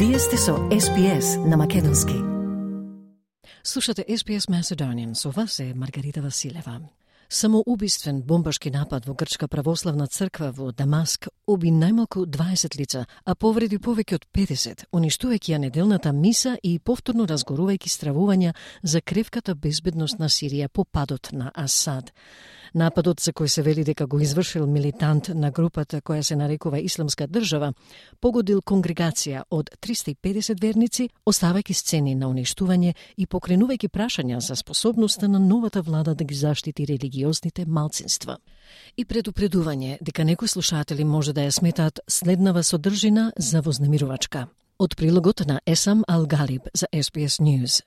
Вие сте со SPS на македонски. Слушате SPS Macedonian, со вас е Маргарита Василева. Самоубиствен бомбашки напад во Грчка православна црква во Дамаск уби најмалку 20 лица, а повреди повеќе од 50, уништувајќи ја неделната миса и повторно разгорувајќи стравувања за кревката безбедност на Сирија по падот на Асад. Нападот, за кој се вели дека го извршил милитант на групата која се нарекува Исламска држава, погодил конгрегација од 350 верници, оставајќи сцени на уништување и покренувајќи прашања за способноста на новата влада да ги заштити религиозните малцинства. И предупредување дека некои слушатели може да ја сметаат следнава содржина за вознемирувачка. Од прилогот на Есам Ал-Галиб за SBS News.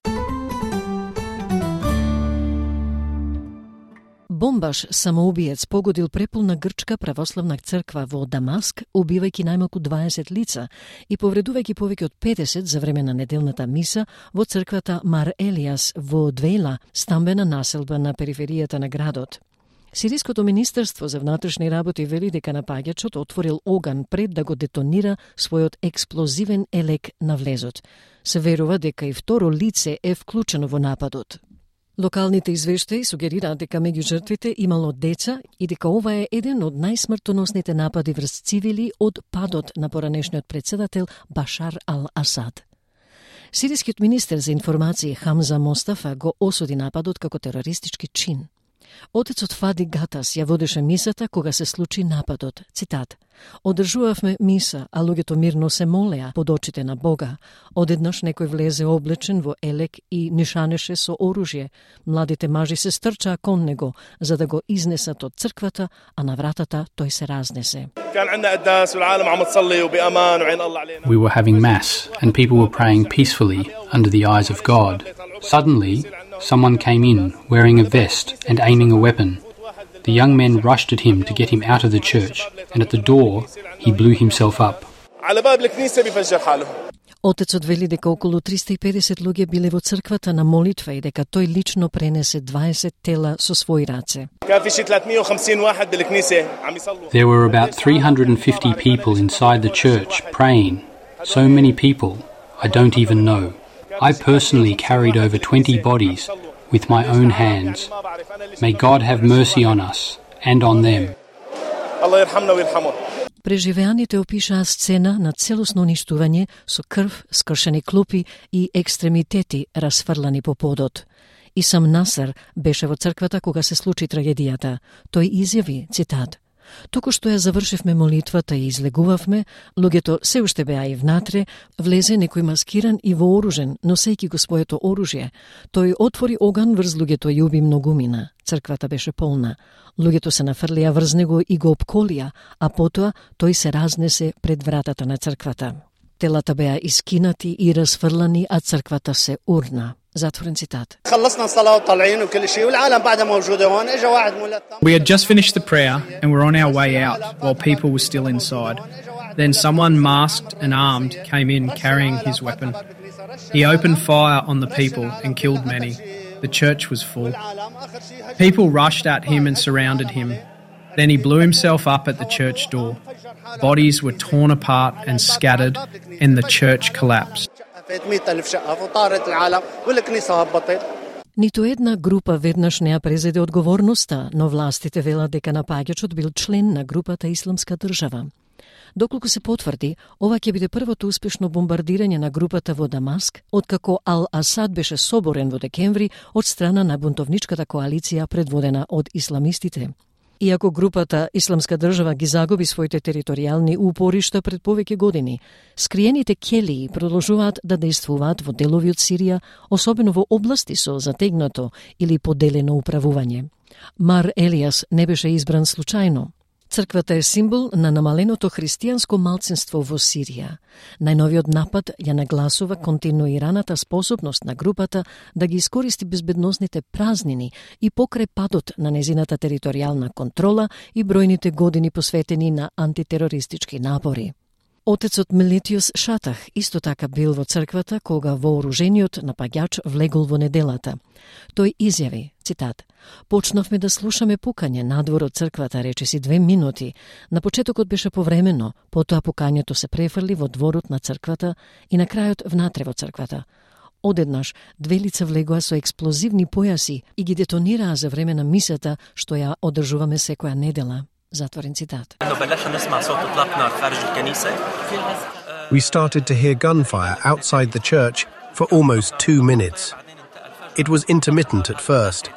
Бомбаш самоубиец погодил преполна грчка православна црква во Дамаск, убивајќи најмалку 20 лица и повредувајќи повеќе од 50 за време на неделната миса во црквата Мар Елиас во Двејла, стамбена населба на периферијата на градот. Сириското министерство за внатрешни работи вели дека напаѓачот отворил оган пред да го детонира својот експлозивен елек на влезот. Се верува дека и второ лице е вклучено во нападот. Локалните извештаи сугерираат дека меѓу жртвите имало деца и дека ова е еден од најсмртоносните напади врз цивили од падот на поранешниот председател Башар ал-Асад. Сирискиот министер за информации Хамза Мостафа го осуди нападот како терористички чин. Отецот Фади Гатас ја водеше мисата кога се случи нападот. Цитат: "Одржувавме миса, а луѓето мирно се молеа под очите на Бога. Одеднаш некој влезе облечен во елек и нишанеше со оружје. Младите мажи се стрчаа кон него за да го изнесат од црквата, а на вратата тој се разнесе." We were having mass and people were praying peacefully under the eyes of God. Suddenly, someone came in wearing a vest and aiming a weapon. The young men rushed at him to get him out of the church, and at the door, he blew himself up. Отецот вели дека околу 350 луѓе биле во црквата на молитва и дека тој лично пренесе 20 тела со своји раце. There were about 350 people inside the church praying. So many people, I don't even know. I personally carried over 20 bodies with my own hands. May God have mercy on us and on them. Преживеаните опишаа сцена на целосно уништување со крв, скршени клупи и екстремитети расфрлани по подот. Исам Насер беше во црквата кога се случи трагедијата. Тој изјави, цитат: "Току што ја завршивме молитвата и излегувавме, луѓето се уште беа и внатре, влезе некој маскиран и вооружен, носејќи го своето оружје. Тој отвори оган врз луѓето и уби многумина. Црквата беше полна. Луѓето се нафрлија врз него и го опколија, а потоа тој се разнесе пред вратата на црквата. Телата беа искинати и расфрлани, а црквата се урна." Затворен цитат. We had just finished the prayer and were on our way out while people were still inside. Then someone masked and armed came in carrying his weapon. He opened fire on the people and killed many. The church was full. People rushed at him and surrounded him. Then he blew himself up at the church door. Bodies were torn apart and scattered and the church collapsed. Ниту една група веднаш не ја презеде одговорноста, но властите велат дека напаѓачот бил член на групата Исламска држава. Доколку се потврди, ова ќе биде првото успешно бомбардирање на групата во Дамаск, откако Ал-Асад беше соборен во декември од страна на бунтовничката коалиција предводена од исламистите. Иако групата Исламска држава ги загуби своите територијални упоришта пред повеќе години, скриените келии продолжуваат да действуваат во делови од Сирија, особено во области со затегнато или поделено управување. Мар Елиас не беше избран случајно. Црквата е символ на намаленото христијанско малцинство во Сирија. Најновиот напад ја нагласува континуираната способност на групата да ги искористи безбедносните празнини и покрај падот на незината територијална контрола и бројните години посветени на антитерористички напори. Отецот Мелитиус Шатах исто така бил во црквата кога вооружениот напаѓач влегол во неделата. Тој изјави, цитат: "Почнавме да слушаме пукање надвор од црквата, речиси 2 минути. На почетокот беше повремено, потоа пукањето се префрли во дворот на црквата и на крајот внатре во црквата. Одеднаш 2 лица влегоа со експлозивни појаси и ги детонираа за време на мисата што ја одржуваме секоја недела." Затворен цитат. We started to hear gunfire outside the church for almost 2 minutes. It was intermittent at first.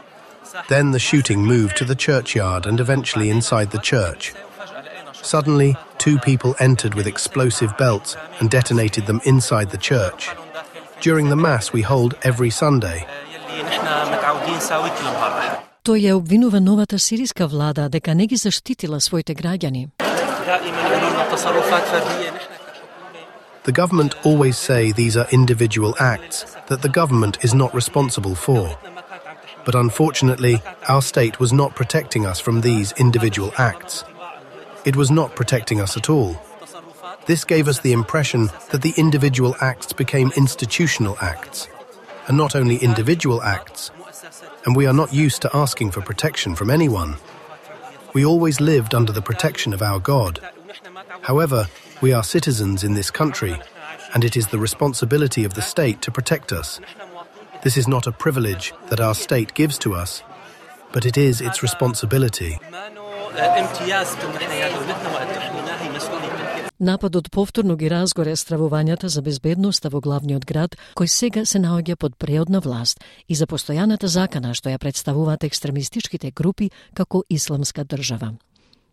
Then the shooting moved to the churchyard and eventually inside the church. Suddenly, 2 people entered with explosive belts and detonated them inside the church. During the Mass we hold every Sunday. Тој ја обвинува новата сириска влада дека не ги заштитила своите граѓани. The government always say these are individual acts that the government is not responsible for. But unfortunately, our state was not protecting us from these individual acts. It was not protecting us at all. This gave us the impression that the individual acts became institutional acts, and not only individual acts, and we are not used to asking for protection from anyone. We always lived under the protection of our God. However, we are citizens in this country, and it is the responsibility of the state to protect us. This is not a privilege that our state gives to us, but it is its responsibility. Нападот повторно ги разгоре стравувањата за безбедноста во главниот град, кој сега се наоѓа под преодна власт, и за постојаната закана што ја представуваат екстремистичките групи како Исламска држава.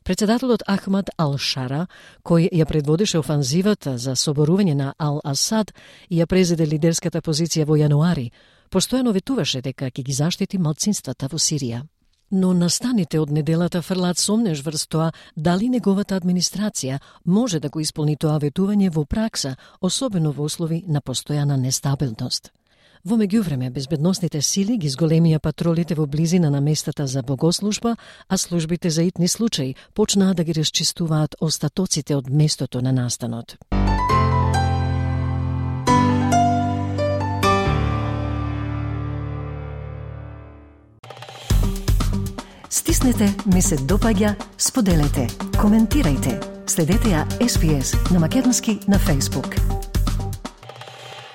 Председателот Ахмад Ал-Шара, кој ја предводеше офанзивата за соборување на Ал-Асад и ја презеде лидерската позиција во јануари, постојано ветуваше дека ќе ги заштити малцинствата во Сирија. Но настаните од неделата фрлаат сомнеш врз тоа дали неговата администрација може да го исполни тоа ветување во пракса, особено во услови на постојана нестабилност. Во меѓувреме, безбедносните сили ги зголемија патролите во близина на местата за богослужба, а службите за итни случаи почнаа да ги расчистуваат остатоците од местото на настанот. Стиснете, ми се допаѓа, споделете, коментирајте. Следете ја SPS на Македонски на Facebook.